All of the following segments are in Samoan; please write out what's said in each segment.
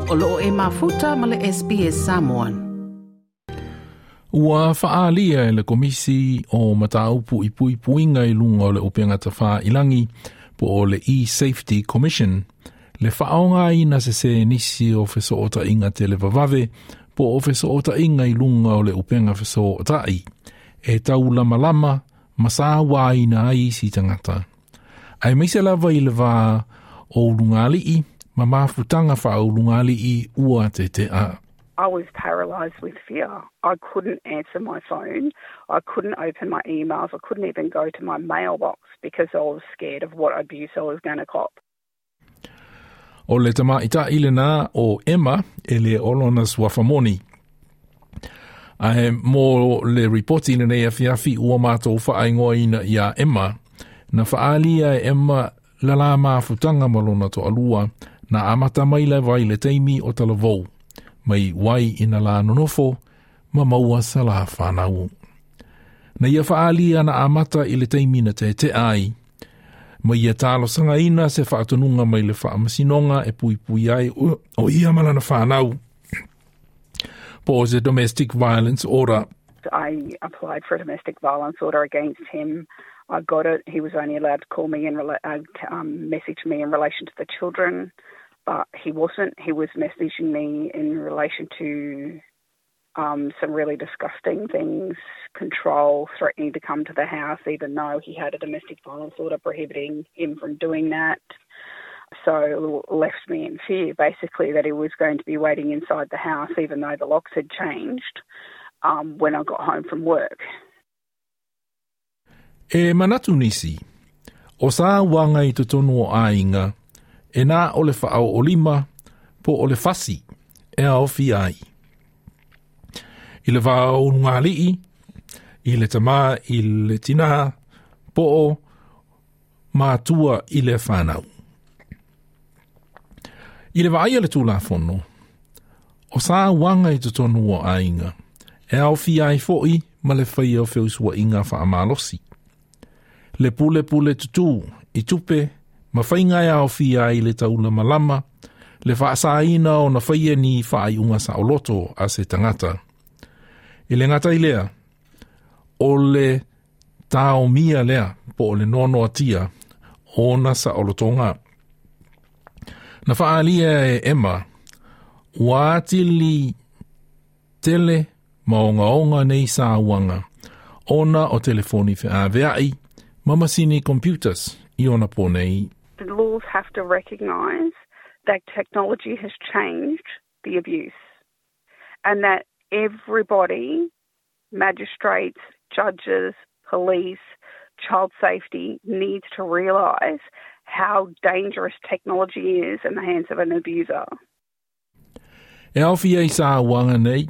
O loo e mafuta ma le SBS Samoan. Ua faalia e le Komisi o Mataupu i Puipuiga i luga o le Upega Tafailagi po o le E-Safety Commission le faaaogaina sesē nisi o fesootaiga televavave po o fesootaiga i luga o le upega fesootai e taulamalama ma sauaina ai isi tagata. Aemaise lava i le va o ulugalii ma mafutaga faaulugalii ua tete'a. I was paralysed with fear. I couldn't answer my phone. I couldn't open my emails. I couldn't even go to my mailbox because I was scared of what abuse I was going to cop. O le tamaitaʻi lenā o Emma e le o lona suafa moni. Ae mo le ripoti i lenei afiafi ua matou faaigoaina iā Emma, na faaalia e Emma le la mafutaga ma lona toalua na amata mai lava i le taimi o talavou, mai wai ina la nonofo ma maua sa la fanau. Na ia faaalia na amata i le taimi na tetea ai, ma ia talosagaina se faatonuga mai le faamasinoga e puipui ai o ia ma lana fanau po o se domestic violence order. I applied for a domestic violence order against him. I got it. He was only allowed to call me and message me in relation to the children, but he wasn't. He was messaging me in relation to some really disgusting things, control, threatening to come to the house, even though he had a domestic violence order prohibiting him from doing that. So it left me in fear, basically, that he was going to be waiting inside the house, even though the locks had changed when I got home from work. E manatu nisi, o sauaga i totonu o aiga, e na o le faaoolima po o le fasi e aofia ai. I le va o ulugalii, i le tamā i le tinā, po o matua i le fanau. I le vaai a le Tulafono, o sauaga i totonu o aiga, e aofia ai foʻi ma le faia o feusuaiga faamalosi. Le pulepule tutū i tupe ma faiga e aofia ai le taulamalama, le faasaina ona faia ni faaiuga saoloto a se tagata. E le gata i lea, o le taomia lea po o le noanoatia ona saolotoga. Na faaalia e Emma, ua atili tele ma ogaoga nei sauaga ona o telefoni feaveai ma masini computers i ona po nei. The laws have to recognise that technology has changed the abuse and that everybody, magistrates, judges, police, child safety, needs to realise how dangerous technology is in the hands of an abuser. E aofia i sauaga nei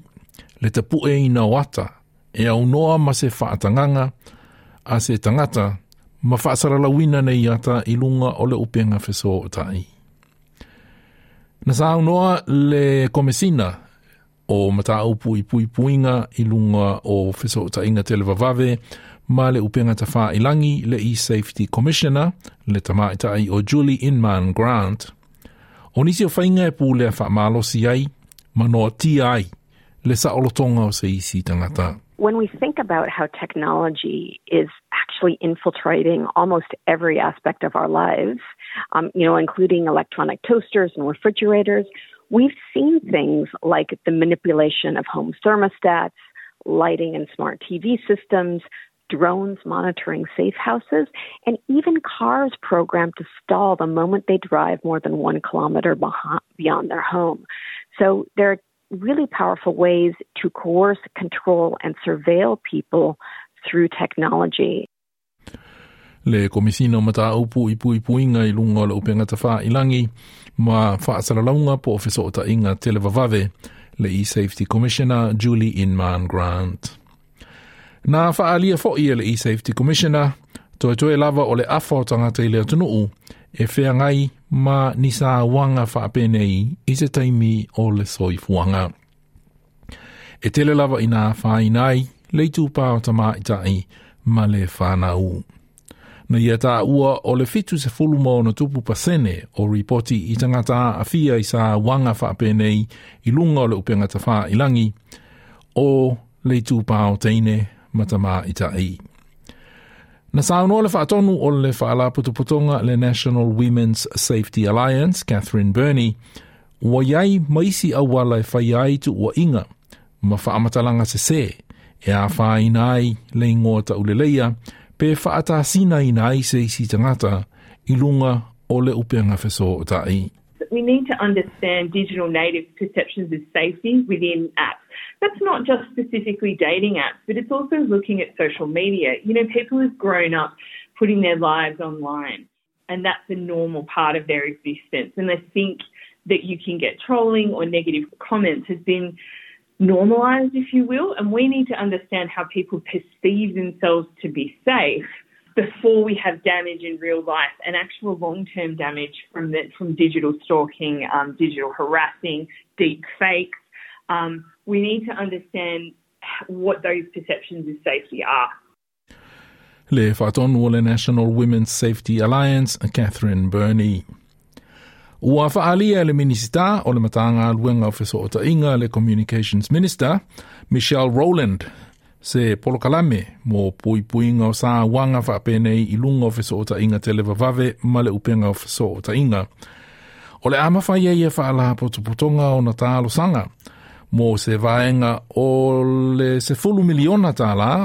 le tapueina o ata e aunoa ma se faatagaga a se tagata ma faasalalauina nei ata i luga o le upega fesootai. Na saunoa le Komesina o Mataupu i Puipuiga i luga o Fesootaiga Televavave ma le Upega Tafailagi le E-Safety Commissioner le tamaitaʻi o Julie Inman Grant. O nisi o faiga e pulea faamalosi ai ma noatia ai le saolotoga o se isi tagata. When we think about how technology is actually infiltrating almost every aspect of our lives, including electronic toasters and refrigerators, we've seen things like the manipulation of home thermostats, lighting and smart TV systems, drones monitoring safe houses, and even cars programmed to stall the moment they drive more than 1 kilometer beyond their home. So there are really powerful ways to coerce, control, and surveil people through technology. Le Komesina o Mataupu i Puipuiga i luga o le Upega Tafailagi ma Faasalalauga po o Fesootaiga Televavave, le E-Safety Commissioner Julie Inman Grant. Na faaalia foʻi e le E-Safety Commissioner, toetoe lava o le afa o tagata i le atunuu e feagai ma ni sauaga faapenei i se taimi o le soifuaga. E tele lava ina afaina ai le itupa o tamaitaʻi ma le fanau. Na ia tāua o le 76% o ripoti i tagata aafia i sauaga faapenei i luga o le upega tafailagi o le itupa o teine ma tamaitaʻi. Na saunoa le faatonu o le faalapotopotoga le National Women's Safety Alliance, Catherine Burney, ua i ai ma isi auala e faia ai tuuaiga ma faamatalaga sesē e afaina ai le igoa tauleleia pe faatasinaina ai se isi tagata i luga o le upega fesootai. We need to understand digital native perceptions of safety within apps. That's not just specifically dating apps, but it's also looking at social media. You know, people have grown up putting their lives online, and that's a normal part of their existence. And they think that you can get trolling or negative comments has been normalised, if you will, and we need to understand how people perceive themselves to be safe before we have damage in real life and actual long-term damage from the, from digital stalking, um, digital harassing, deep fakes. Um, we need to understand what those perceptions of safety are. Le faatonu o le National Women's Safety Alliance, Catherine Burney. Ua faaalia e le Minisita o le Matagaluega o Fesootaiga le Communications Minister, Michelle Rowland, se polokalame mo puipuiga o sauaga faapenei i luga o fesootaiga televavave ma le upega o fesootaiga. O le a mafai ai e faalapotopotoga ona talosaga mo se vaega o le $10 miliona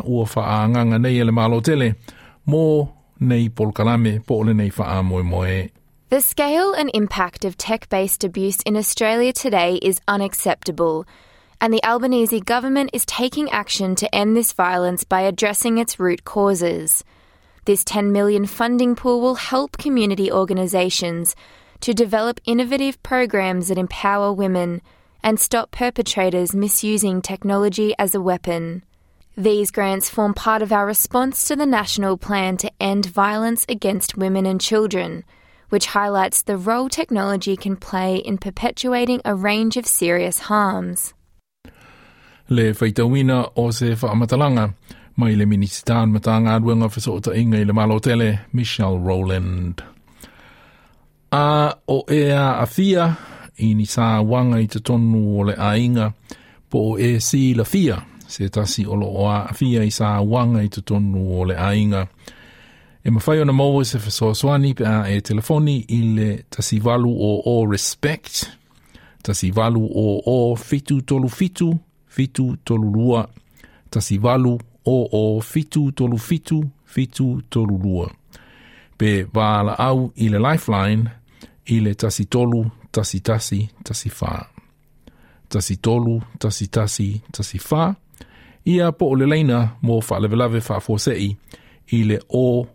ua faaagaaga nei e le Malo tele mo nei polokalame po o lenei faamoemoe. The scale and impact of tech based abuse in Australia today is unacceptable, and the Albanese government is taking action to end this violence by addressing its root causes. This 10 million funding pool will help community organisations to develop innovative programs that empower women and stop perpetrators misusing technology as a weapon. These grants form part of our response to the national plan to end violence against women and children, which highlights the role technology can play in perpetuating a range of serious harms. Le faitauina o se faamatalaga mai le Minisita o le Matagaluega o Fesootaiga i le Malo tele, Michelle Rowland. A o e aafia i ni sauaga i totonu o le aiga po o e silafia se tasi o loo aafia i sauaga i totonu o le aiga. E mafai ona maua se fesoasoani pe a e telefoni i le 1800 RESPECT, 1800 737 732, 1800 737 732. Pe valaau i le Lifeline i le 13 11 14. 13 11 14. Ia po o le laina mo faalavelave faafuasei i le 000.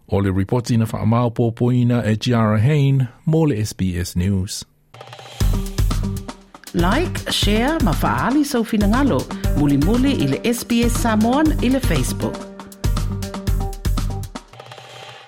O le ripoti na faamaopoopoina e Giara Hain mo le SBS News. Like, share ma faaali sou finagalo. Mulimuli i le SBS Samoan i le Facebook.